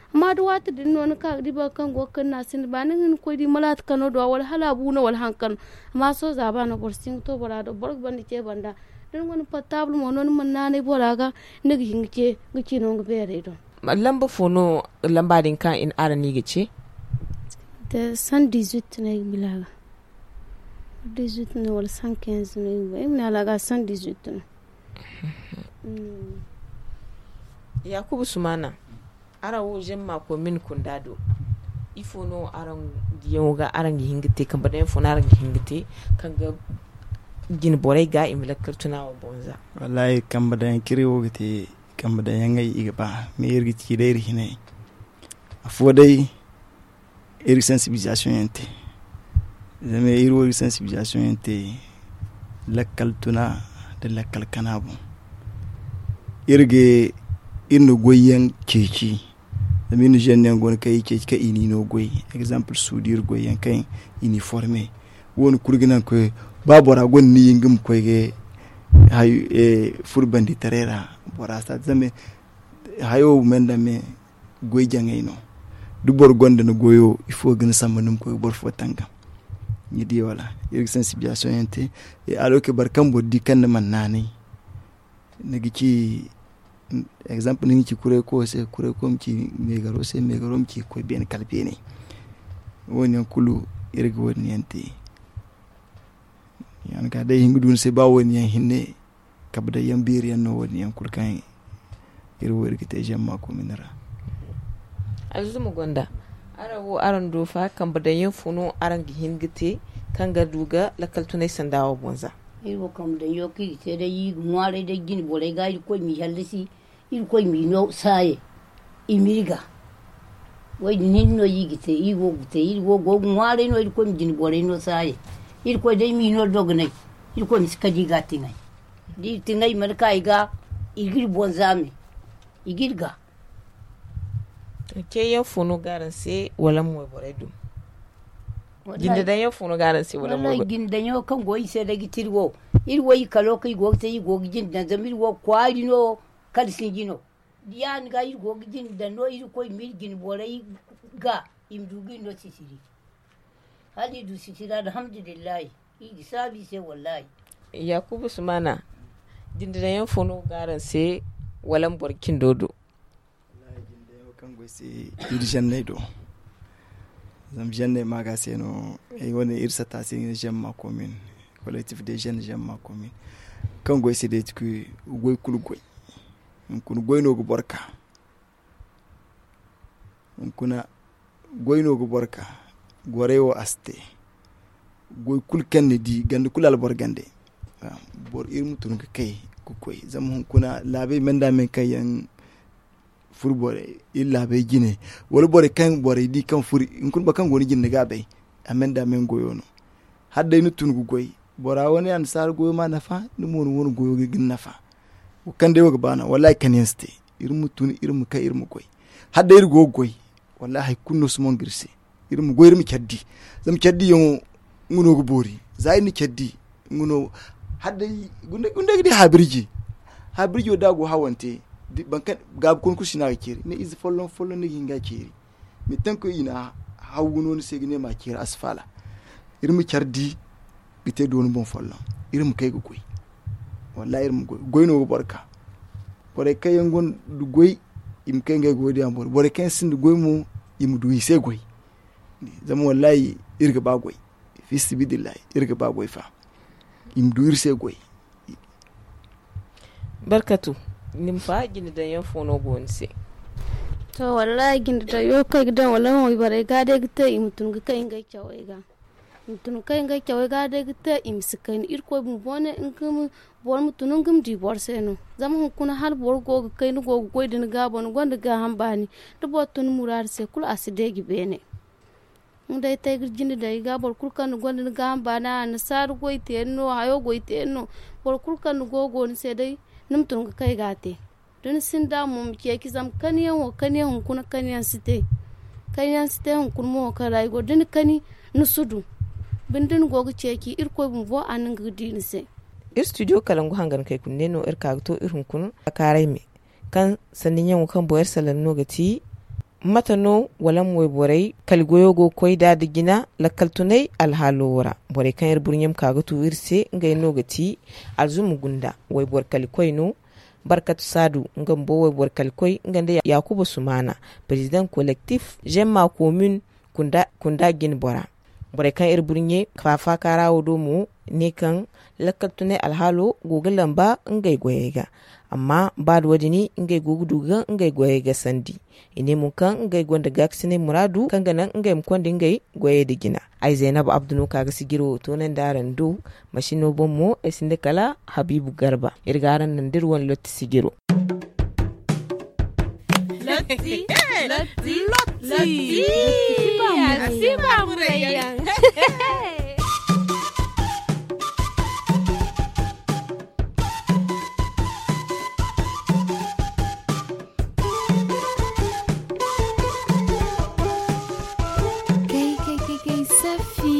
Amma da waati din no ni ka ga di boro kaŋ go ga kayna sinda baani ni ga hin ga koy di malaati kano do a wala hala a bu no wala hari kano. Amma sohõ zaaba no boro si hin ga to bora do boro ga ban ni ce banda. Da ni gonda portable mo no ni mana naanay bora ga ni ga hin ga ce ga ci no nga beerey do. Lamba fo no lamba din kaŋ araŋ no i ga ce? Cent dix huit no ay ga bila ga. Dix huit no wala cent quinze no ay ga ba ay ma ne hala ga cent dix huit no. Yaakuba sumana, araŋ wo zama ma koy mini kunda do. Ifo no araŋ diyaŋo ga araŋ ga hin ga te kambe daŋ yaŋ fo no araŋ ga hin ga te kaŋ ga jine borey ga i ma lakkal tuna wo boŋ za? Wallahi kambe daŋ yaŋ kaŋ iri wo ga te kambe daŋ yaŋey i ga ba me iri ga ci day iri hinay. Afo day iri ga sensibilisation yaŋ te. Zama iri wo iri ga sensibilisation yaŋ te lakkal tuna nda lakkal kana boŋ. Iri ga iri na goy yaŋ ceeci. Zama iri na jeune yaŋ go no kaŋ i ceeci kaŋ i n'i no goy. Exemple suudi iri goy yaŋ kaŋ i n'i forme. Wo- ne kulu ga naŋ koy ba bora gonda ni yinga ma koy ga furo banditaray ra. Bora si a te zama hayo me nda me goy jaŋay no. Da boro gonda ni goyo ifo ga ni samba ni ma koy ga boro fo tangam? Ni di wala? Iri ga sensibilisation yaŋ te. Alo ke boro kaŋ boro di kaŋ ni mana naanay ni ga ci exemple ni ga ci kuray koyo se kuray koyo ma ci meegaro se meegaro ma ci ga koy beene kala beene. Wo- ne yaŋ kulu iri ga wo- din yaŋ te. Yaŋ ga day i hin ga du ni se ba wo- din yaŋ hinne. Kabe day yaŋ beeri yaŋ no wo- din yaŋ kulu kaŋ iri wo iri ga te zama ma koy mini ra. Alzuma gonda araŋ wo araŋ do fa kambe daŋ yaŋ fo no araŋ ga hin ga te kaŋ ga du ga lakkal tunay sanda wo boŋ za? Iri wo kambe daŋ yaŋ kaŋ iri ga te day iri ga ŋwaaray day jine borey ga irkoy m'i hallasi. Irkoy m'i no saayey i m'iri ga. Wo- din hinne no iri ga te iri wo ga te iri wo go ga ŋwaaray no irkoy ma jine borey no saayey. Irkoy day m'i no dogonay. Irkoy ma si kadi ga tiŋay da iri tiŋay mana ka i ga i ga iri boŋ zaame. I ga iri ga. Ceeyaŋ fo no ga araŋ se wala mo borey do? Jinde daŋ yaŋ fo no ga araŋ se wala mo borey do? Jinde daŋ yaŋ kaŋ go iri se day ga ti iri wo iri wo iri kalo kaŋ iri go ga te iri go ga jinde daŋ zama iri wo kwaari no. Kala sinji no. Ya- din ga iri go ga jinde daŋ no irkoy ma iri jine borey ga i ma du ga iri no sisiri. Hala iri du sisiri alhamdulillahi. Yaakuba sumaana, jinde daŋ yaŋ fo no ga araŋ se? Wala ma boro cindo do? Wallaahi jinde daŋ yaŋ kaŋ go ay se, iri zanney do. Zama zanney ma ga se no ay wane iri satta se nga ne zan ma komin, kolektif de zan zan ma komin. Kaŋ go ay se day ti koy goy kulu goy. Hunkuna goy no ga boro ka. Hunkuna goy no ga boro ka. Gorey wo a si te. Goy kulu kaŋ ni di ganda kulu alboro gandey. Boro iri ma tun ga kay ga koy zama hunkuna laabey menda men kaŋ yaŋ furo borey iri laabey jine, wala borey kaŋ borey di kaŋ furo hunkuna boro kaŋ go ni jine ni ga a bay. A menda men goyo no. Hala day ni tun ga goy, bora wane annasaara goyo ma nafa, ni mo ni wane goyo ga ni nafa. Wo kaŋ day wo ga ba no wallaahi kani yaŋ si te. Iri ma tun iri ma kay iri ma goy. Hala day iri go ga goy, wallaahi hari kulu no si mongo iri se. Iri ma goy iri ma care di. Zama care diyaŋo nga no ga boori. Za iri na care di, nga no hala day gundey ga di haabirji. Haabirjo da a go hawante, gaabu kuna kulu si no a ga ceeri ne ize folloŋ folloŋ no ga hin ga a ceeri. Manti taŋ kaŋ i na hawgu no ni se ga ne ma a ceeri a si faala. Iri ma care di ga te dooni boŋ folloŋ. Iri ma kay ga goy. Wallaahi iri ma goy goy no ga boro ka. Borey kaŋ yaŋ gonda goy, i ma kay ngey goy diyaŋ boro borey kaŋ yaŋ sinda goy mo, i ma du i se goy. Zama wallaahi iri ga ba goy. Fiisabilillahi iri ga ba goy fa. I ma du iri se goy. Barkatu, ni ma fa jinde daŋ yaŋ fo no go ni se? To wallaahi jinde daŋ yaŋ kaŋ ay ga daŋ wallaahi wayborey ga day ga te i ma tun ga kay ngey cawey ga. I ma tun ga kay ngey cawey ga day ga te i ma si kayna irkoy bumbo ne nga ma boro ma tun nga ma di boro se no. Zama hunkuna hala boro go ga kay ni go ga goy da ni gaabo ni gonda gaaham baani. Da boro tun muraadu se kulu a si deeji beene. Nga day te ay ga jinde daŋ i ga boro kulu kaŋ ni gonda ni gaaham baani a annasaara goy te yaŋ no hayo goy te yaŋ no. Boro kulu kaŋ ni go go ni se day ni ma tun ga kay ga a te. Da ni sinda mo ma ceeci zama kaniyaŋ wo kaniyaŋ hunkuna kaniyaŋ si te. Kaniyaŋ si te hunkuna mo wo kaŋ ra ay go da ni kani ni si du. Binde ni go ga ceeci irkoy bumbo a na nga ga di ni se. Iri studio kalangu hangan kay kulu ne no iri ka ga to iri hunkuna a kaaray me. Kaŋ sanni ɲaŋo kaŋ boŋ iri salaŋ no ga ti mate no wala ma wayborey kali goyo go ga koy nd'a nda jina lakkal tunay alhaalo wo ra? Borey kaŋ iri burɲe ma ka ga tu iri se ngey no ga ti alzuma gunda wayboro kali koy no. Barkatu saadu nga bumbo wayboro kali koy nga nda yaakuba sumaana, perezidaŋ kolektif zemma komin kunda jine bora. Borey kaŋ iri burɲe faafaaka ra wo do mo ne kaŋ lakkal tunay alhaalo go ga lamba ngey goyey ga. Amma ba da wo- din ngey go ga du ga ngey goyey ga sandi. I ne mo kaŋ ngey gonda gaakasinay muraadu kaŋ ga naŋ ngey ma konda ngey goyey nda jina. Ay zaynab abdu no ka ga sijiro toonandi araŋ do. Masino boŋ mo ay sinda kala habiibu garba iri ga araŋ naŋ da iri wane lotti sijiro. Lotti. Lotti. Lotti. Lotti. Lotti. Lotti. Lotti. Kay kay kay kay safi.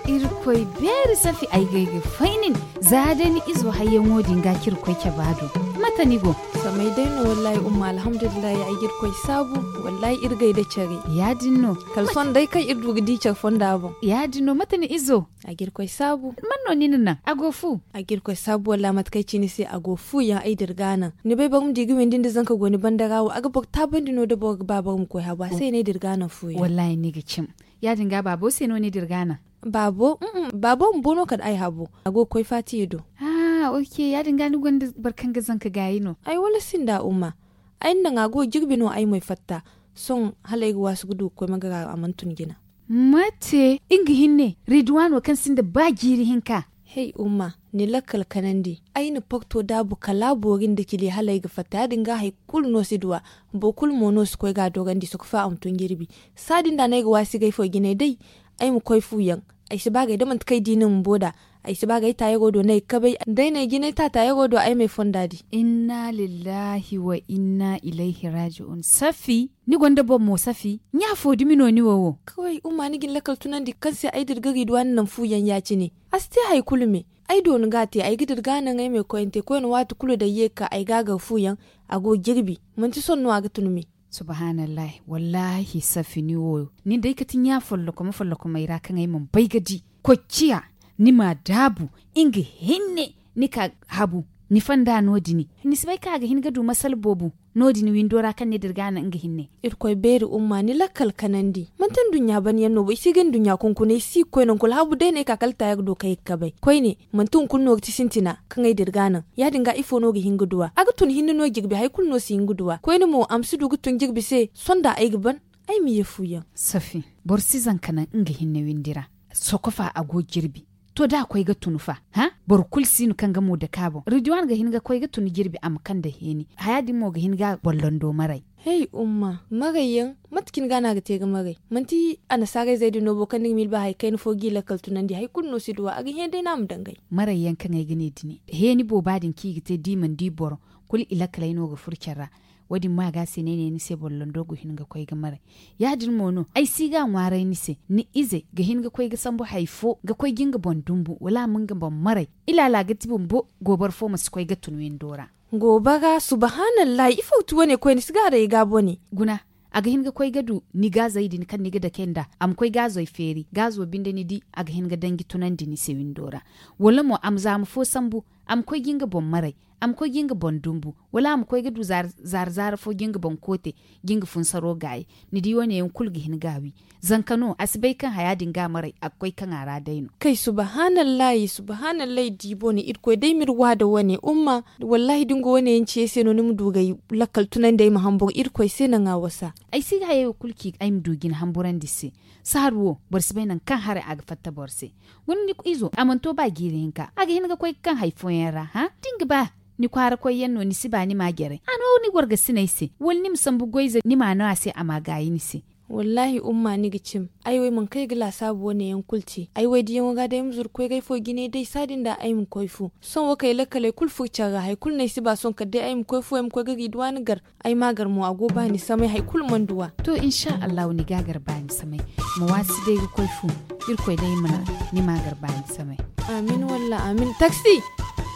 Irkoy beeri safi ay gay ga fay nin. Za day ni izo hayyaŋo din ga kirkoy caba do. Mate ni go? Samay day no wallahi umma alhamdulillahi ay ga irkoy saabu. Wallahi iri gay da care. Ya- din no. Kala sohõ day kaŋ iri du ga di care fonda boŋ. Ya- din no mate ni izo? A ga irkoy saabu. Man no ni na naŋ a go fu? A ga irkoy saabu wallahi mate kaŋ ay ci ni se a go fu yaŋ ay dira ga naŋ. Ni bay boro ma di ga windi nda zanka go ni banda ra wo a ga boro taabandi no da boro ga ba boro ma koy habu a se no ay dira ga naŋ fu yaŋ. Wallahi ni ga cim. Ya- din ga baabo se no ni dira ga naŋ? Baabo. Baabo bumbo no kala ay habu a go ga koy faatiya do. Ah ok ya- din ga ni gonda boro kaŋ ga zanka gaayi no? Ay wala sinda umma. Ay na naŋ a go ga jirbi no ay moy fatta. Sohõ hala ay ga waasu ga du ga koy magara a mana tun jina. Mate nga hinne riduwaano kaŋ sinda ba jiiri hinka? Hey umma, ni lakkal kanandi ay na porto daabu kala boori nda cili hala ay ga fatta ya- din ga hari kulu no si duw'a. Boro kulu mo no si koy ga a dorandi soko fa a ma tun jirbi. Saadin da no ay ga waasigay fo jinay day. Ay ma koy fu yaŋ. Ay si ba gay da manti kaŋ ay di ni bumbo nd'a. Ay si ba gay taayaro do no ay ga kabay. Day no ay jinay ta taayaro do ay ma ay fonda di. Inna lillahi wa inna ilayhi raaji'un safi. Ni gonda boro mo safi? Ɲa fo dumi no ni wo wo? Kaway umma ni ga ni lakkal tunandi kaŋ se ay dira ga riduwaana naŋ fu yaŋ ya- cine. A si te hari kulu me. Ay doona ga a te ay ga dira ga a naŋ ay ma ay koyante koyne waati kulu day ye ga ka ay ga a gar fu yaŋ. A go ga jirbi. Manti sohõ no a ga tun me. Subhaanallahi wallaahi safi ni wo. Nin day kati ɲa follokom follokomey ra kaŋ ay mana bay ga di. Koy ciya. Ni m'a daabu nga hinne. Ni ka habu ni fonda no- din. Ni si bay kaŋ a ga hin ga du masala boobo no- din windo ra kaŋ ni dira ga naŋ nga hinne. Irkoy beeri umma ni lakkal kanandi manti nduɲɲa ban yaŋ no bo i si ga nduɲɲa kunkuna i si ga koy nangu kulu habu day no ay ka kala taya ga du kaŋ ay ga kabay koyne. Manti hunkuna no ga ti sintina kaŋ ay dira ga naŋ ya- din ga ifo no ga hin ga duw'a a ga tun hinne no jirbi hari kulu no si hin ga duw'a koyne mo a ma si du ga tun jirbi se. Sonda ay ga ban ay ma ye fu yaŋ. Safi, boro si zanka naŋ nga hinne windi ra. Sokofa a go jirbi. To da a koy ga tun fa? Hã? Boro kulu si no kaŋ ga mo dake a boŋ ridiwan ga hin ga koy ga tun jirbi a ma kande heeni haya din mo ga hin ga a bollando maray. Hay umma, maray yaŋ mate cine ga no a ga te ga maray? Manti annasaarayzey din no bo kaŋ ni ga miila ba hari kayna fo g'i lakkal tunandi hari kulu no si duw'a a ga hẽ day no a ma dangay. Maray yaŋ kaŋ ay ga ne dini heeni booba din kaŋ i ga te da i mana di boro kulu i lakkaley no ga furo care ra. Wo- din mo a ga a se no ay ne ni se bollando ga hin ga koy ga maray. Ya- din mo no ay si ga a ŋwaaray ni se ni ize ga hin ga koy ga sambu hari fo ga koy ga nga boŋ dumbu wala a ma nga boŋ maray. Ilaala ga ti bumbo gooboro fo ma si koy ga tun windo ra. Goobara subahanallahi ifo ga ti wane koyne si ga a day ga bone. Guna, a ga hin ga koy ga du ni gaazey din kaŋ ni ga dake nd'a a ma koy gaazoy feeri gaazo binde ni di a ga hin ga danji tunandi ni se windo ra. Wala mo a ma zaama fo sambu a ma koy ga nga boŋ maray, a ma koy ga nga boŋ dumbu, wala a ma koy ga du zaara zaara fo ga nga boŋ koote ga nga funsaro gaayi. Ni di wane yaŋ kulu ga hin ga a wi. Zanka no a si bay kaŋ haya din ga a maray a ga koy kaŋ a ra day no. Kay subahanallahi subahanallahi di bone irkoy day ma iri wa da wane umma. Wallahi da ni go wane yaŋ ce ay se no ni ma du ga ay lakkal tunandi ay ma hamburu irkoy se naŋ a wasa. Ay si ga hayey wo kulu ci ay ma du ga ni hamburandi se. Saharu wo boro si bay nangu kaŋ haray a ga fatta boro se. Guna ni izo a mana to ba jiiri hinka a ga hin ga koy ga kaŋ hari fooyaŋ ra hã da ni ga ba ni kwaara koy yaŋ no ni si ba ni ma a jaray a no ni wargasiney se wala ni ma sambu goy ize ni ma a no a se a ma a gaayi ni se. Wallaahi umma ni ga cim. Ay wo ay mana kay ga laasaabu wane yaŋ kulu te ay wo ay diyaŋo ga day ay ma zuru koy ga ay fo jine day saadin da ay ma koy fu. Sohõ wo kay lakkaley kulu furo care ra hari kulu no ay si ba sohõ kala day ay ma koy fu ay ma koy ga riiduwa ni gar. Ay ma a gar mo a go ba ni samay hari kulu mana duw'a. To insa allahu ni ga a gar ba ni samay. Ma waasi day ga koy fu. Irkoy day ma ni ma a gar ba ni samay. Amin walla amin taksi.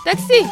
Taksi.